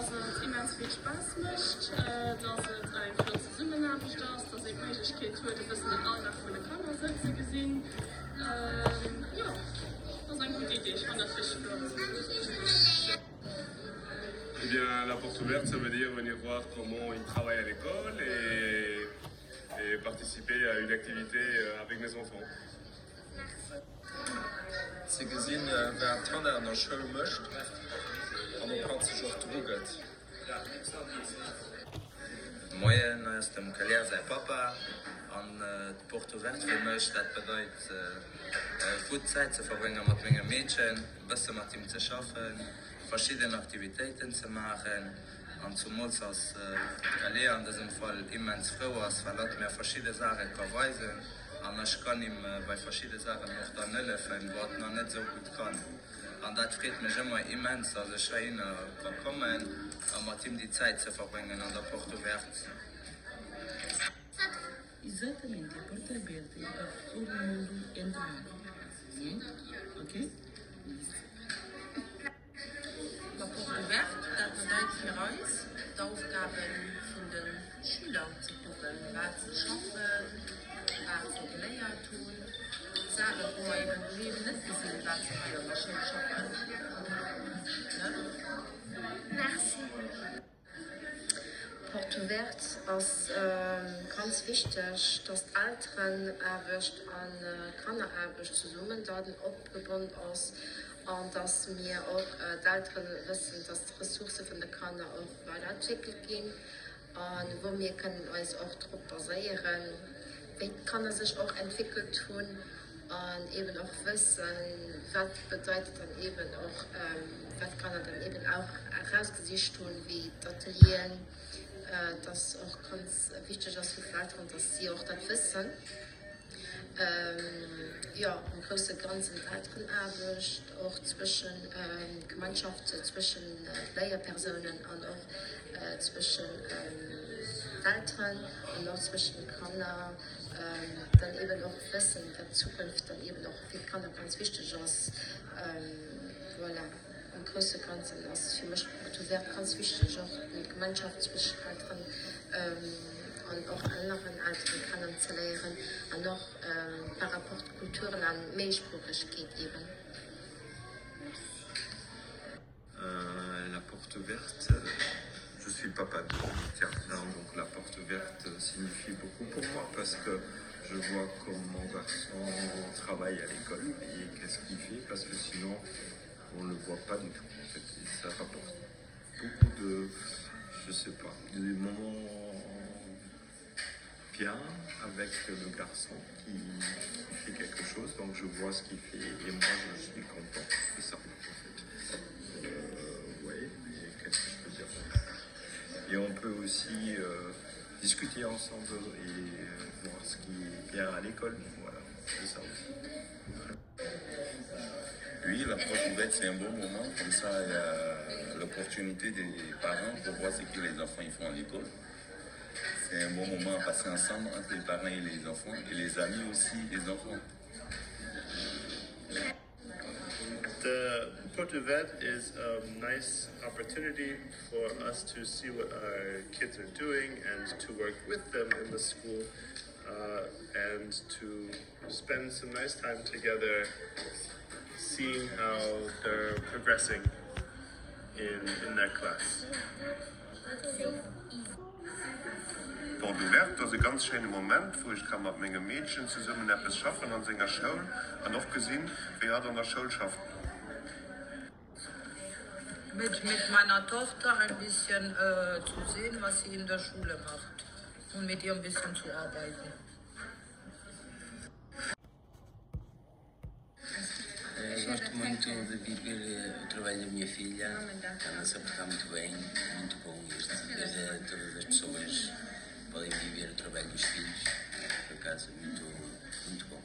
Dass et immens vill Spaass mécht, dass et eng flott Zesummenaarbecht ass, dass een d'Méiglechkeet huet e bëssen den Alldag vun de Kanner sou ze gesinn. Jo, ass eng gutt Idee, ech fannen dat richteg flott. Eh bien, la porte ouverte, ça veut dire venir voir comment ils travaillent à l'école et, et participer à une activité avec mes enfants. Ze gesinn, wat d'Hanna an der Schoul mécht an ob hatt sech och dru gëtt. Moien, hei ass dem Kalia säi Papa. An d'Porte ouverte fir mech, dat bedeit gutt Zäit ze verbrénge mat mengem Meedchen, e bësse mat him ze schaffen, verschidden Aktivitéiten ze maachen. An zumools ass d'Kalia an dësem Fall immens frou ass, well hatt mär verschidde Saache ka weisen. An ech kann him bei verschidde Saachen och dann hëllefen, wou hatt nach net esou gutt kann. An dat freet mech ëmmer immens, dass ech heihinner ka kommen a mat him déi Zäit ze verbréngen an der Porte Ouverte. Exatamente, a porta aberta é para todo mundo entrar. Né? Ok? Isso. La Porte ouverte, dat bedeit fir eis, d'Aufgabe vun de Schüler ze kucken, wat se schaffen, wat se geléiert hunn, Saachen, wou mer eben doheem net gesinn, wat se hei an der Schoul schaffen. Merci. Porte ouverte ass ganz wichteg, dass d'Elterenaarbecht an d'Kanneraarbecht zesummen dann opgebonnt ass an dass mir och d'Elteren wëssen, dass d'Ressourcë vun de Kanner och weiderentwéckelt ginn a wou mir kënnen eis och drop baséieren, wéi d'Kanner sech och entwéckelt hunn an eben och wëssen, wat bedeit et dann eben och, wat d'Kanner dann eben auch erausgesicht hunn, wéi d'Atelieren, dass och ganz wichteg ass fir d'Elteren, dass si och dat wëssen. Jo, am grousse Ganzen d'Elterenaarbecht och zwëschen d'Gemeinschaft zwëschen d'Léierpersounen an och zwëschen d'Elteren an och zwëschen de Kanner, dann eben och wëssen, datt d'Zukunft dann eben och fir d'Kanner ganz wichteg ass. Voilà, am grousse Ganzen ass fir mech d'Porte ouverte ganz wichteg, och d'Gemeinschaft zwëschen Elteren an och aneren Elteren kennenzeléieren an och par rapport Kulturen an Méisproochegkeet eben. La porte ouverte, je suis le papa de Terminal, donc la porte ouverte signifie beaucoup pour moi parce que je vois comment mon garçon travaille à l'école et qu'est-ce qu'il fait parce que sinon on le voit pas du tout en fait et ça rapporte beaucoup de je sais pas des moments bien avec le garçon qui, qui fait quelque chose donc je vois ce qu'il fait et moi je suis content de ça en fait euh, ouais et qu'est-ce que je peux dire et on peut aussi euh, discuter ensemble et euh, voir ce qui est bien à l'école voilà c'est ça aussi. Oui, la porte ouverte, c'est un bon moment. Comme ça, il y a l'opportunité des parents pour voir ce que les enfants ils font à l'école. C'est un bon moment à passer ensemble entre les parents et les enfants, et les amis aussi des enfants. The Porte Ouverte is a nice opportunity for us to see what our kids are doing and to work with them in the school uh, and to spend some nice time together seeing how they're progressing in, in their class. Porte ouverte ass e ganz schéine Moment, wou ech ka mat mengem Meedchen zesummen eppes schaffen an senger Schoul an och gesinn, wéi hatt an der Schoul schafft. Mit mit meiner Tochter ein bisschen zu sehen, was sie in der Schule macht und mit ihr ein bisschen zu arbeiten. Eu gosto muito de viver o trabalho da minha filha, ela se portar muito bem, muito bom este ver todas as pessoas podem viver o trabalho dos filhos, por acaso muito, muito bom.